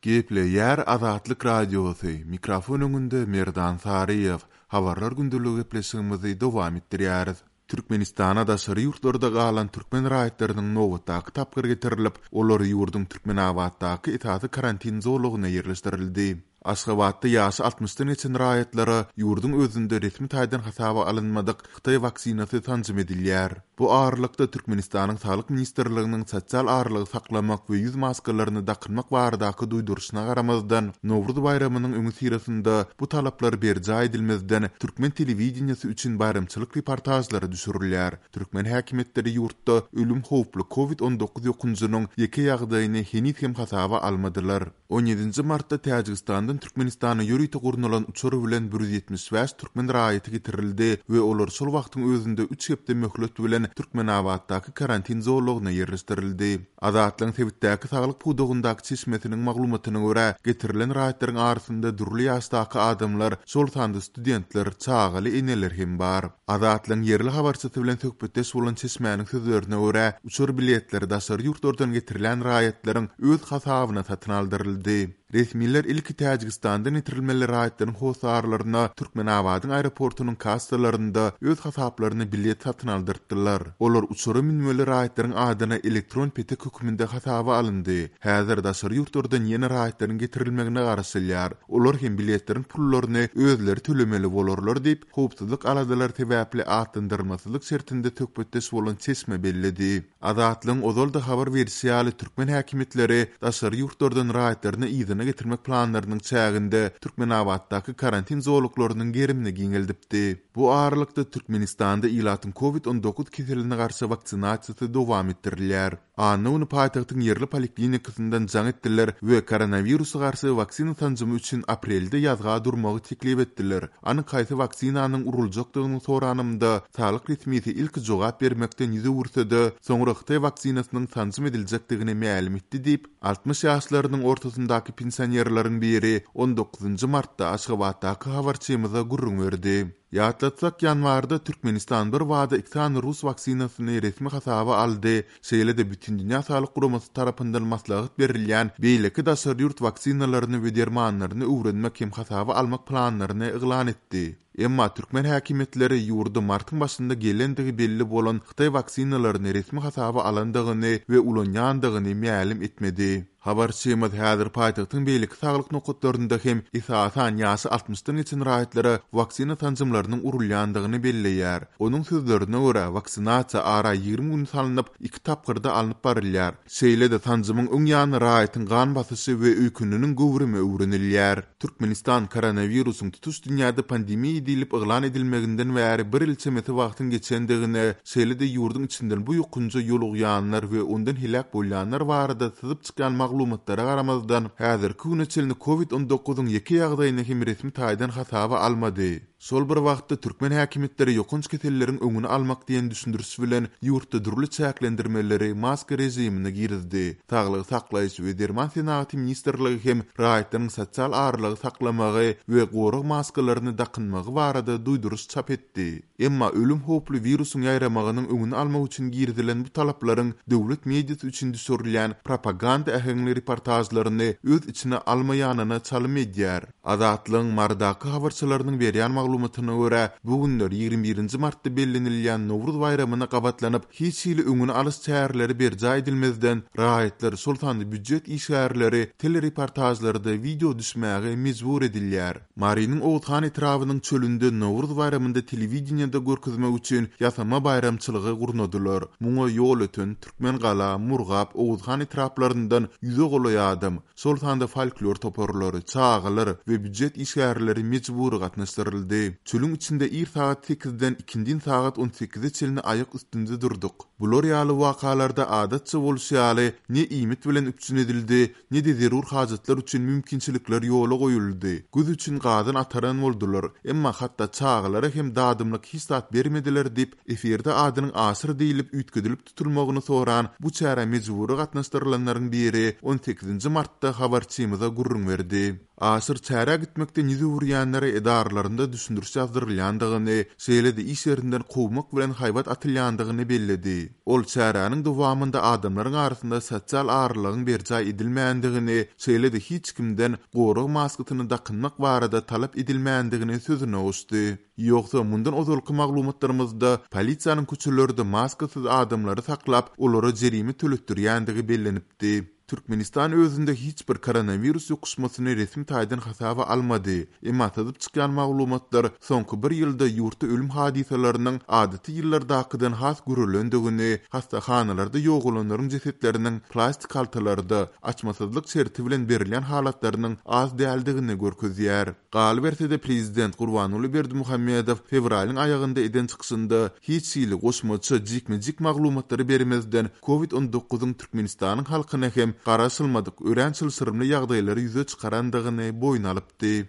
Gepleýär Azatlyk Radiosy, mikrofon öňünde Merdan Saryýew. Habarlar gündeligi gepleşigimizi dowam etdirýäris. Türkmenistana daşary ýurtlarda galan türkmen raýatlarynyň nobatdaky tapgyry getirilip, olar ýurduň Türkmenabatdaky esasy karantin zolagyna ýerleşdirildi. Aşgabatda ýaşy altmyşdan geçen raýatlara ýurduň özünde resmi taýdan hasaba alynmadyk hytaý waksinasy sanjym edilýär. Bu aralykda, Türkmenistanyň Saglyk ministrliginiň sosial aralygy saklamak we ýüz maskalaryny dakynmak baradaky duýduryşyna garamazdan, Nowruz baýramynyň öňüsyrasynda bu talaplar berjaý edilmezden, türkmen telewideniýesi üçin baýramçylyk reportažlary düşürilýär. Türkmen häkimiýetleri ýurtda ölüm howply Covid 19 ýokunjynyň ýeke ýagdaýyny heniz hem hasaba almadylar. On ýedinji martda Täjigistandan Türkmenistana ýörite gurnalan uçar bilen 175 türkmen raýaty getirildi we olar şol wagtyň özünde üç hepde möhlet bilen Türkmenabatdaky karantin zolagyna ýerleşdirildi. Azatlygyň sebitdäki saglyk pudagyndaky çeşmesiniň maglumatyna görä, getirilen raýatlaryň arasynda dürli ýaşdaky adamlar, şol sanda studentler, çagaly eneler hem bar. Azatlygyň ýerli habarçysy bilen söhbetdeş bolan çeşmäniň sözlerine görä, uçar biletleri daşary ýurtlardan getirilen raýatlaryň öz hasabyna satyn aldyryldy. Resmiler ilki Täjigistandan getirilmeli raýatlaryň hossarlaryna Türkmenabadyň aeroportunyň kassalarynda öz hasaplaryna bilet satyn aldyrtdylar. Olar uçara münmeli raýatlaryň adyna elektron petek hökmünde hasaba alyndy. Häzir daşary ýurtlardan ýene raýatlaryň getirilmegine garaşylýar. Olar hem biletleriň pullaryny özleri tölemeli bolarlar diýip, howpsuzlyk aladalary sebäpli atlandyrylmasyzlyk şertinde söhbetdeş bolan çeşme belledi. Azatlygyň ozal-da habar berşi ýaly, türkmen häkimiýetleri daşary ýurtlardan raýatlaryny yzyna getirmek planlarynyň çäginde Türkmenabatdaky karantin zolaklarynyň gerimini giňeldipdi. Bu aralykda, Türkmenistanda ilatyň Covid 19 keseline garşy waksinasiýasy dowam etdirilýär. Anna güni paýtagtyň ýerli poliklinikasyndan jaň etdiler we koronawirusa garşy waksina sanjymy üçin aprelde ýazga durmagy teklip etdiler. Anyk haýsy waksinanyň uruljakdygyny soranymda, saglyk resmisi ilki jogap bermekden ýüz öwürse-de, soňra hytaý waksinasynyň sanjym ediljekdigini mälim etdi diýip, 60 ýaşlarynyň ortasyndaky pensionerleriň biri on dokuzynjy martda Aşgabatdaky habarçymyza gürrüň berdi. Ýatlatsak, ýanwarda Türkmenistan bir bada iki sany rus waksinasyny resmi hasaba aldy, şeýle-de Bütindünýä Saglyk Guramasy tarapyndan maslahat berilýän beýleki daşary ýurt waksinalaryny we dermanlaryny öwrenmek hem hasaba almak planlaryny yglan etdi. Emma türkmen häkimiýetleri ýurda martyň başynda gelendigi belli bolan hytaý waksinalaryny resmi hasaba alandygyny we ulanýandygyny mälim etmedi. Habarçymyz häzir paýtagtyň beýleki saglyk nokatlarynda hem esasan ýaşy altmyşdan geçen raýatlara waksina sanjymlarynyň urulýandygyny belleýär. Onuň sözlerine görä, waksinasiýa ara 20 gün salnyp, iki tapgyrda alnyp barylýar. Şeýle-de sanjymyň öň ýany raýatyň gan basyşy we öýkeniniň göwrümi öwrenilýär. Türkmenistan koronawirusyň tutuş dünýäde pandemiýa diýlip yglan edilmeginden bäri bir ýyl çemesi wagtyň geçendigine, şeýle-de ýurduň içinden bu ýokunja ýolugýanlar we ondan heläk bolýanlar barada syzyp çykýan maglumatlara garamazdan, häzirki güne çenli Covid 19-yň ýeke ýagdaýyny hem resmi taýdan hasaba almady. Şol bir wagtda, türkmen häkimiýetleri ýokanç keselleriň öňüni almak diýen düşündiriş bilen, ýurtda dürli çäklendirmeleri, maska režimini girizdi. Saglygy saklaýyş we derman senagaty ministrligi hem raýatlaryň sosial aralygy saklamagy we gorag maskalaryny dakynmagy barada duýduryş çap etdi. Emma ölüm howply wirusyň ýaýramagynyň öňüni almak üçin girizilen bu talaplaryň döwlet mediasy üçin düşürilýän propaganda äheňli reportažlaryny öz içine almaýanyna çalym edýär. Azatlygyň Marydaky habarçylarynyň berýän maglumatyna görä, bu günler 21 nji martda bellenilýän Nowruz baýramyna gabatlanyp, hiç hili öňüni alyş çäreleri berjaý edilmezden, raýatlar, şol sanda býujet işgärleri telereportažlarda wideo düşmäge mejbur edilýär. Marynyň Oguzhan etrabynyň çölünde Nowruz baýramynda telewideniýede görkezmek üçin ýasama baýramçylygy gurnadylar. Muňa Ýolöten, Türkmengala, Murgap, Oguzhan etraplaryndan ýüze golaý adam, şol sanda folklor toparlary, çagalar we býujet işgärleri mejbury gatnaşdyryldy. Çölüň içinde ir sagat sekizden ikindin sagat on sekize çenli aýak üstünde durduk. Bular ýaly wakalarda adatça bolşy ýaly, ne iýmit bilen üpjün edildi, ne-de zerur hajatlar üçin mümkinçilikler ýola goýuldy. Göz üçin gazan ataran boldular, emma hatda çagalara hem dadymlyk hiç zat bermediler diýip, efirde adynyň Aşyr diýlip üýtgedilip tutulmagyny soran bu çärä mejbury gatnaşdyrylanlaryň biri on sekizinji martda habarçymyza gürrüň berdi. Aşyr çärä gitmekden ýüz öwürýänlere edaralarynda düşündiriş ýazdyrylýandygyny, şeýle-de iş ýerinden kowmak bilen haýbat atylýandygyny belledi. Ol çäräniň dowamynda adamlaryň arasynda sosial aralygyň berjaý edilmändigini, şeýle-de hiç kimden gorag maskasyny dakynmak barada talap edilmändigini sözüne goşdy. Ýogsa, mundan ozalky maglumatlarymyzda polisiýanyň köçelerde maskasyz adamlary saklap, olara jerime töletdirýändigi bellenipdi. Türkmenistan özünde hiç bir koronawirus ýokuşmasyny resmi taýdan hasaba almady, emma syzyp çykýan maglumatlar soňky bir ýylda ýurtda ölüm hadysalarynyň adaty ýyllardakydan has görelendigini, hassahanalarda ýogalanlaryň jesetleriniň plastik haltalarda, açmasyzlyk şerti bilen berilýän halatlarynyň az däldigini görkezýär. Galyberse-de, prezident Gurbanguly Berdimuhamedow fewralyň aýagynda eden çykyşynda hiç hili goşmaça jikme-jik maglumatlary bermezden, Covid on dokuzyň Türkmenistanyň halkyna hem garaşylmadyk örän çylşyrymly ýagdaýlary ýüze çykarandygyny boýun alypdy.